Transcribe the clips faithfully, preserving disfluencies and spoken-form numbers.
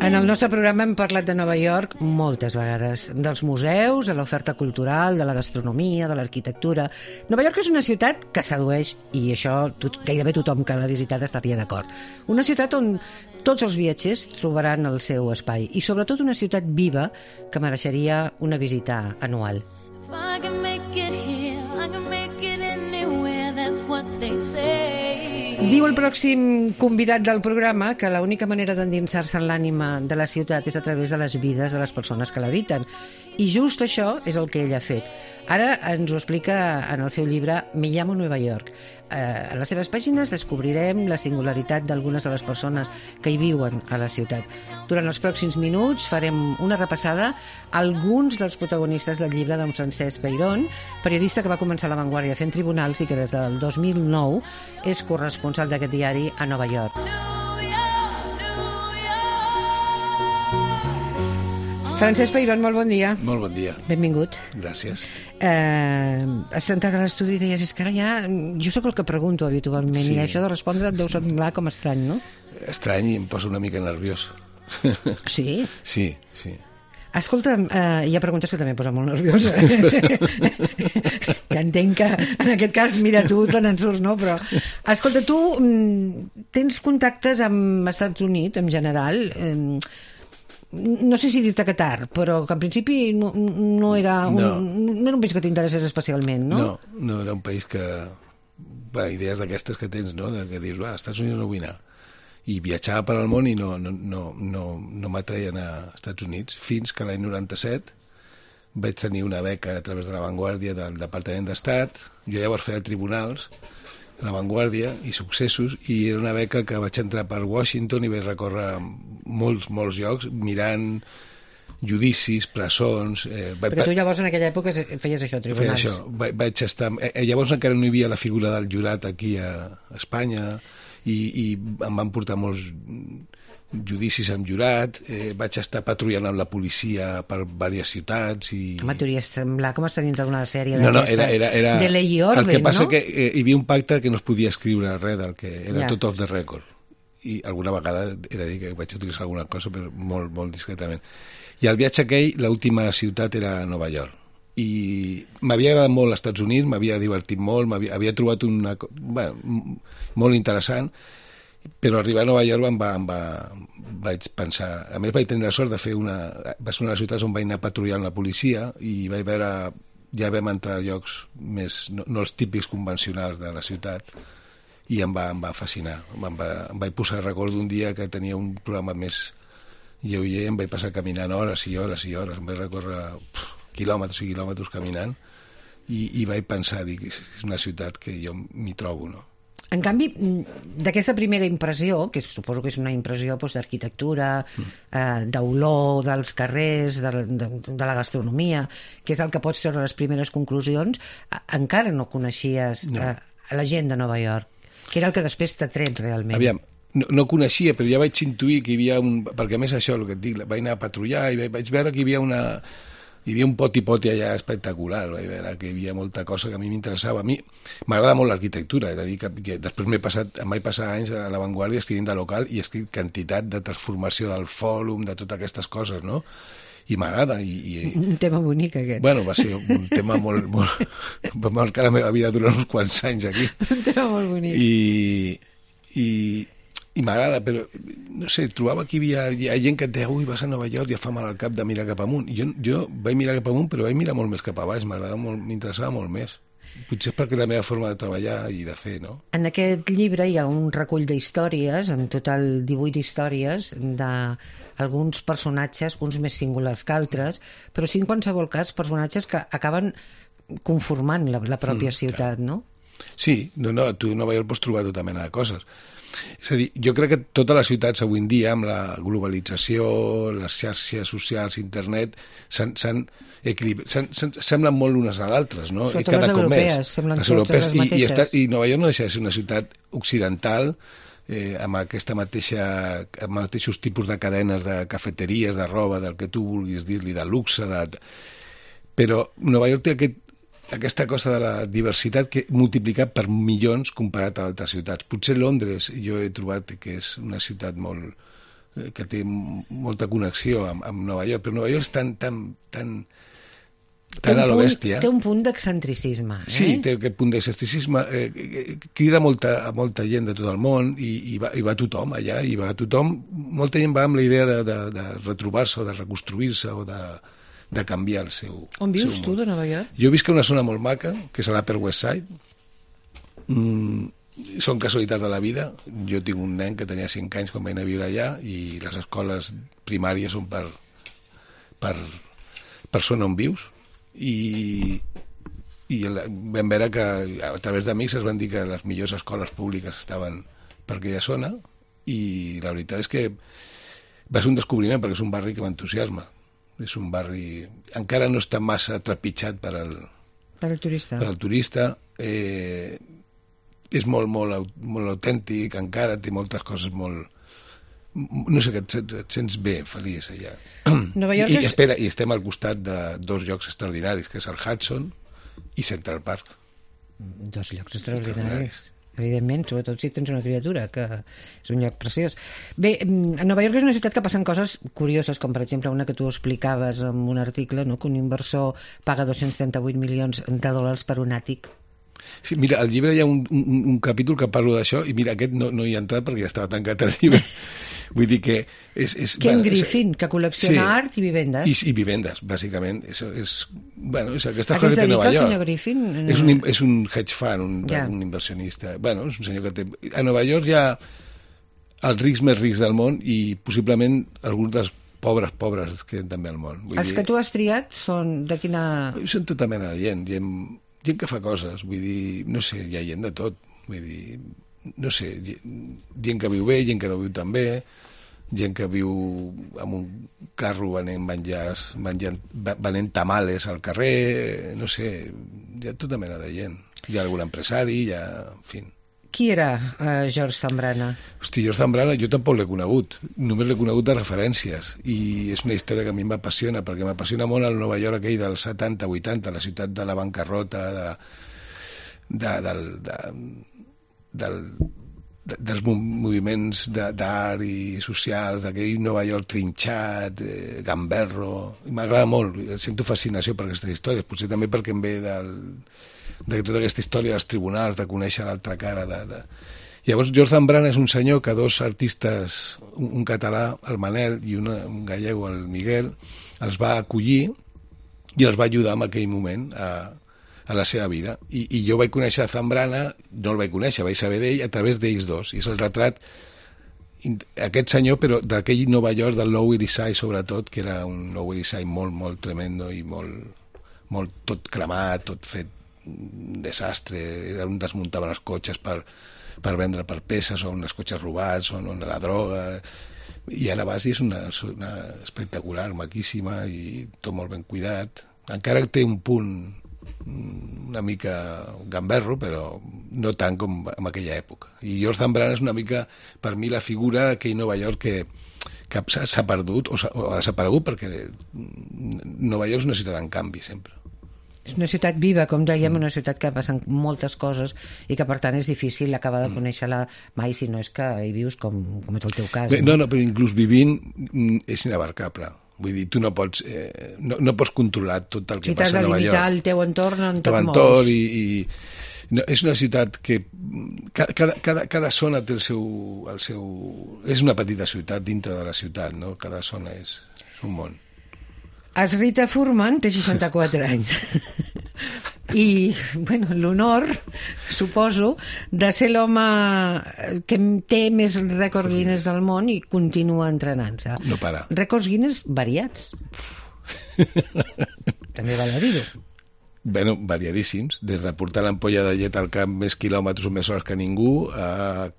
En el nostre programa hem parlat de Nova York moltes vegades, dels museus, de l'oferta cultural, de la gastronomia, de l'arquitectura. Nova York és una ciutat que sedueix, i això tot, gairebé tothom que l'ha visitat estaria d'acord. Una ciutat on tots els viatgers trobaran el seu espai, i sobretot una ciutat viva que mereixeria una visita anual. Diu el pròxim convidat del programa que l'única manera d'endinsar-se en l'ànima de la ciutat és a través de les vides de les persones que l'habiten. I just això és el que ell ha fet. Ara ens ho explica en el seu llibre Me llamo Nueva York. Eh, a les seves pàgines descobrirem la singularitat d'algunes de les persones que hi viuen a la ciutat. Durant els pròxims minuts farem una repassada a alguns dels protagonistes del llibre d'en Francesc Peirón, periodista que va començar a La Vanguardia fent tribunals i que des del dos mil nou és corresponsal d'aquest diari a Nova York. Francesc Peirón, molt bon dia. Molt bon dia. Benvingut. Gràcies. Eh, has entrat a l'estudi i deies, és que ara ja... Jo sóc el que pregunto habitualment, sí. I això de respondre et deu semblar com estrany, no? Estrany i em poso una mica nerviós. Sí? Sí, sí. Escolta, eh, hi ha preguntes que també em posen molt nerviosa. Ja entenc que en aquest cas, mira, tu te n'en surts, no? Però, escolta, tu tens contactes amb Estats Units, en general, eh, no sé si dir-te que tard, però que en principi no, no, era un, no. no era un país que t'interessés especialment, no? No, no era un país que... Va, idees d'aquestes que tens, no? De que dius, va, als Estats Units no vull anar. I viatjava per al món i no, no, no, no, no m'atreien a Estats Units, fins que l'any noranta-set vaig tenir una beca a través de La Vanguardia del Departament d'Estat. Jo llavors feia tribunals a La Vanguardia i successos, i era una beca que vaig entrar per Washington i vaig recórrer molts, molts llocs mirant judicis, presons... Eh, vaig, Però tu llavors en aquella època feies això, tribunals. Feia això, vaig, vaig estar... Eh, llavors encara no hi havia la figura del jurat aquí a Espanya, i, i em van portar molts judicis amb jurat, eh, vaig estar patrullant amb la policia per diverses ciutats i... Home, t'hauria semblar com estar dins d'una sèrie no, no, d'aquestes era, era, era... de Lei i Orden, no? El que passa no? que eh, hi havia un pacte que no es podia escriure res del que era ja. Tot off the record, i alguna vegada he de dir que vaig utilitzar alguna cosa, però molt, molt discretament. I el viatge aquell, l'última ciutat era Nova York, i m'havia agradat molt als Estats Units, m'havia divertit molt, m'havia havia trobat una... Bueno, molt interessant, però arribar a Nova York em va, em va, vaig pensar... A més vaig tenir la sort de fer una... Va ser una de les ciutats on vaig anar patrullant la policia i vaig veure... Ja vam entrar a llocs més... No, no els típics convencionals de la ciutat, i em va, em va fascinar. Em, va, em vaig posar, recordo un dia que tenia un programa més lleuger, em vaig passar caminant hores i hores i hores, em vaig recórrer pff, quilòmetres i quilòmetres caminant, i, i vaig pensar, dic, és una ciutat que jo m'hi trobo, no? En canvi, d'aquesta primera impressió, que suposo que és una impressió doncs, d'arquitectura, mm. eh, d'olor dels carrers, de, de, de la gastronomia, que és el que pots treure les primeres conclusions, encara no coneixies no. Eh, la gent de Nova York, que era el que després t'ha tret realment. Aviam, no, no coneixia, però ja vaig intuir que hi havia un... Perquè a més això, el que et dic, vaig anar a patrullar i vaig veure que hi havia una... Hi havia un poti-poti allà espectacular, vaig veure que hi havia molta cosa que a mi m'interessava. A mi m'agrada molt l'arquitectura, he de dir que, que després m'he passat, em vaig passar anys a La Vanguardia escrivint de local i he escrit quantitat de transformació del fòrum, de totes aquestes coses, no? I m'agrada. I, i... Un tema bonic, aquest. Bueno, va ser un tema molt... molt... va marcar la meva vida durant uns quants anys aquí. Un tema molt bonic. I... i i m'agrada, però no sé, trobava que hi havia, hi ha gent que et deia, ui, vas a Nova York, ja fa mal al cap de mirar cap amunt. Jo, jo vaig mirar cap amunt, però vaig mirar molt més cap a baix, m'agradava molt, m'interessava molt més. Potser és perquè la meva forma de treballar i de fer, no? En aquest llibre hi ha un recull d'històries, en total divuit històries, d'alguns personatges, uns més singulars que altres, però sí en qualsevol cas personatges que acaben conformant la, la pròpia mm, ciutat, clar. No? Sí, no, no, tu a Nova York pots trobar tota mena de coses. És a dir, jo crec que totes les ciutats avui en dia, amb la globalització, les xarxes socials, internet, s'han equilibrat, semblen molt unes a l'altres, no? Sobretot cada les europees, semblen les europees, totes les mateixes. I, i, està, I Nova York no deixa de ser una ciutat occidental, eh, amb aquesta mateixa, amb mateixos tipus de cadenes de cafeteries, de roba, del que tu vulguis dir-li, de luxe, de... però Nova York té aquest aquesta cosa de la diversitat que multiplicat per milions comparat a altres ciutats. Potser Londres jo he trobat que és una ciutat molt, que té molta connexió amb, amb Nova York, però Nova York és tan, tan, tan, tan a lo bèstia. Té un punt d'excentricisme. Eh? Sí, té aquest punt d'excentricisme. Eh, crida molta, a molta gent de tot el món i, i, va, i va tothom allà, i va tothom. Molta gent va amb la idea de, de, de retrobar-se o de reconstruir-se o de, de canviar el seu On vius seu tu, món. de Nova York? Jo visc a una zona molt maca, que és a l'Upper West Side. Mm, són casualitats de la vida. Jo tinc un nen que tenia cinc anys quan vaig anar a viure allà i les escoles primàries són per per, per zona on vius i, i vam veure que a través d'amics es van dir que les millors escoles públiques estaven per aquella zona i la veritat és que va ser un descobriment perquè és un barri que m'entusiasma. És un barri... encara no està massa trepitjat per al, per al turista. Per al turista. Eh, és molt, molt, molt autèntic, encara té moltes coses molt... No sé, que et, et sents bé, feliç allà. Nova York I, és... i espera, i estem al costat de dos llocs extraordinaris, que és el Hudson i Central Park. Dos llocs extraordinaris. Evidentment, sobretot si tens una criatura, que és un lloc preciós. Bé, Nova York és una ciutat que passen coses curioses, com per exemple una que tu explicaves en un article, no? Que un inversor paga dos-cents trenta-vuit milions de dòlars per un àtic. Sí, mira, al llibre hi ha un, un, un capítol que parlo d'això i mira, aquest no, no hi ha entrat perquè ja estava tancat el llibre. Vull dir que... És, és, Ken bueno, Griffin, que col·lecciona sí, art i vivendes. I, i vivendes, bàsicament. És, és, bueno, és aquesta a cosa que té Nova York. el senyor Griffin? És un, és un hedge fund, un, ja. un inversionista. Bueno, és un senyor que té... A Nova York hi ha els rics més rics del món i possiblement alguns dels pobres, pobres que hi ha també al món. Vull els dir, que tu has triat són de quina... Són tota mena de gent. Gent, gent que fa coses. Vull dir, no sé, hi ha gent de tot. Vull dir, no sé, gent que viu bé, gent que no viu tan bé, gent que viu amb un carro venent menjars, menjant, venent tamales al carrer, no sé, hi ha tota mena de gent. Hi ha algun empresari, hi ha... En fi. Qui era uh, George Zambrana? Hosti, George Zambrana jo tampoc l'he conegut, només l'he conegut de referències i és una història que a mi m'apassiona perquè m'apassiona molt el Nova York aquell dels setanta vuitanta, la ciutat de la bancarrota, de, de, del, de, del, de, dels moviments d'art i socials, d'aquell Nova York trinxat, eh, gamberro. M'agrada molt, sento fascinació per aquestes històries, potser també perquè em ve del, de tota aquesta història dels tribunals, de conèixer l'altra cara. De, de... Llavors, George Zambrana és un senyor que dos artistes, un, un català, el Manel, i una, un gallego, el Miguel, els va acollir i els va ajudar en aquell moment a, a la seva vida. I, i jo vaig conèixer Zambrana, no el vaig conèixer, vaig saber d'ell a través d'ells dos. I és el retrat aquest senyor, però d'aquell Nova York, del Lower East Side, sobretot, que era un Lower East Side molt, molt tremendo i molt, molt tot cremat, tot fet un desastre, on desmuntaven els cotxes per, per vendre per peces, o uns cotxes robats, o on la droga, i ara vas i és una, una espectacular, maquíssima, i tot molt ben cuidat. Encara té un punt una mica gamberro, però no tant com en aquella època. I George Zambrana és una mica, per mi, la figura d'aquell Nova York que, que s'ha perdut, o, o ha desaparegut, perquè Nova York és una ciutat en canvi, sempre. És una ciutat viva, com dèiem, una ciutat que passen moltes coses i que, per tant, és difícil acabar de conèixer-la mai, si no és que hi vius com, com és el teu cas. No, no, però inclús vivint és inabarcable. Vull dir, tu no pots, eh, no, no pots controlar tot el que si passa a Nova York. Si t'has de limitar el teu entorn en tot entorn i, i no, és una ciutat que cada, cada, cada zona té el seu, el seu... És una petita ciutat dintre de la ciutat, no? Cada zona és, és un món. Asrita Furman té seixanta-quatre anys i, bueno, l'honor, suposo, de ser l'home que té més rècords Guinness del món i continua entrenant-se. No para. Rècords Guinness variats. També val a dir-ho. Bueno, variadíssims, des de portar l'ampolla de llet al camp més quilòmetres o més hores que ningú, a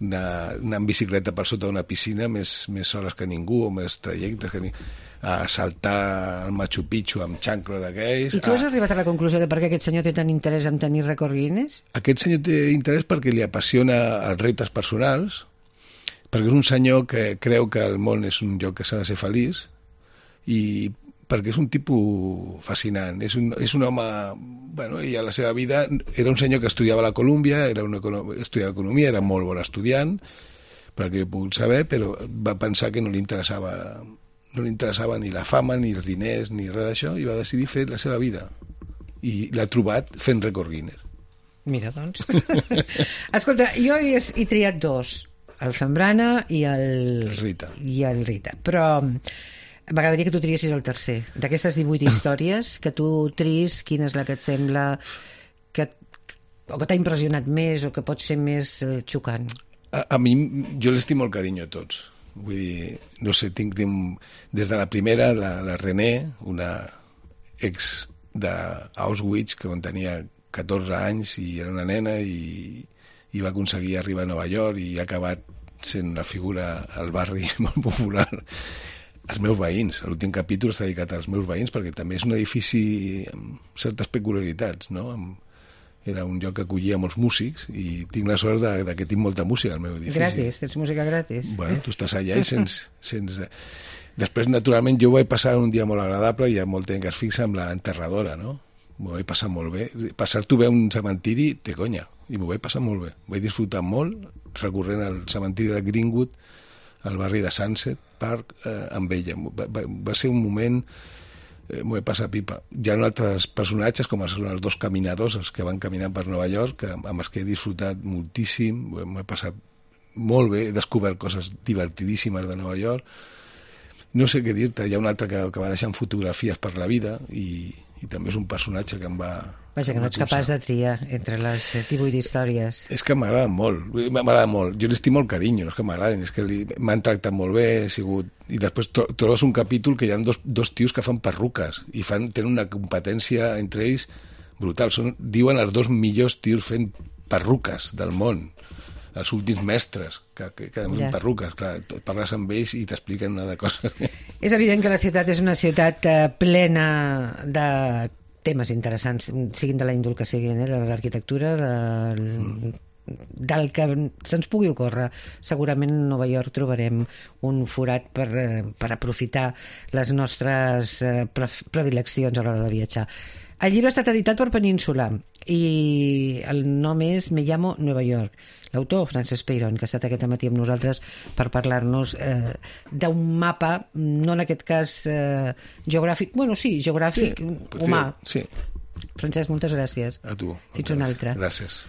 anar, anar en bicicleta per sota d'una piscina més, més hores que ningú, o més trajectes que ningú, a saltar al Machu Picchu amb xancla d'aquells. I tu has a... arribat a la conclusió de per què aquest senyor té tant interès en tenir rècord Guinness? Aquest senyor té interès perquè li apassiona els reptes personals, perquè és un senyor que creu que el món és un lloc que s'ha de ser feliç, i perquè és un tipus fascinant. És un, és un home... Bueno, i a la seva vida era un senyor que estudiava a la Colúmbia, era un econom... estudiava economia, era molt bon estudiant, per el que he pogut saber, però va pensar que no li interessava no li interessava ni la fama, ni els diners, ni res d'això, i va decidir fer la seva vida. I l'ha trobat fent rècord Guinness. Mira, doncs. Escolta, jo he, he triat dos, el Zambrana i el... Rita. I el Rita, però m'agradaria que tu triessis el tercer. D'aquestes divuit històries, que tu tris, quina és la que et sembla que, o que t'ha impressionat més o que pot ser més eh, xocant? A, a mi, jo l'estim molt carinyo a tots. Vull dir, no sé, tinc, tinc des de la primera, la, la René, una ex d'Auschwitz, que quan tenia catorze anys i era una nena i, i va aconseguir arribar a Nova York i ha acabat sent una figura al barri molt popular. Els meus veïns, l'últim capítol està dedicat als meus veïns perquè també és un edifici amb certes peculiaritats, no? Amb, era un lloc que acollia molts músics i tinc la sort de, de que tinc molta música al meu edifici. Gratis, tens música gratis. Bueno, tu estàs allà i sense... sense... Després, naturalment, jo ho vaig passar un dia molt agradable i hi ha molta gent que es fixa amb la enterradora, no? M'ho vaig passar molt bé. Passar-t'ho bé a un cementiri té conya, i m'ho vaig passar molt bé. Vaig disfrutar molt recorrent al cementiri de Greenwood, al barri de Sunset Park, eh, amb ella. Va, va, va ser un moment... Eh, m'ho he passat pipa. Hi ha altres personatges, com els, els dos caminadors, els que van caminant per Nova York, que, amb els que he disfrutat moltíssim, m'ho he passat molt bé, he descobert coses divertidíssimes de Nova York. No sé què dir-te, hi ha un altre que, que va deixant fotografies per la vida i, i també és un personatge que em va... Vaja, que no ets capaç de triar entre les divuit històries. És que m'agrada molt, m'agrada molt. Jo l'estim molt carinyo, no és que m'agraden, és que m'han tractat molt bé, he sigut... I després trobes un capítol que hi ha dos, dos tios que fan perruques i fan, tenen una competència entre ells brutal. Són, diuen els dos millors tios fent perruques del món, els últims mestres que, que, que fan yeah. perruques. Clar, parles amb ells i t'expliquen una de coses. És evident que la ciutat és una ciutat eh, plena de temes interessants, siguin de la índol que siguin, eh, de l'arquitectura, del, mm. del que se'ns pugui ocórrer. Segurament a Nova York trobarem un forat per, per aprofitar les nostres eh, predileccions a l'hora de viatjar. El llibre ha estat editat per Península i el nom és Me llamo Nueva York. L'autor, Francesc Peirón, que ha estat aquest matí amb nosaltres per parlar-nos eh, d'un mapa, no en aquest cas eh, geogràfic, bueno, sí, geogràfic, sí, humà. Sí. Francesc, moltes gràcies. A tu. Fins una altra. Gràcies.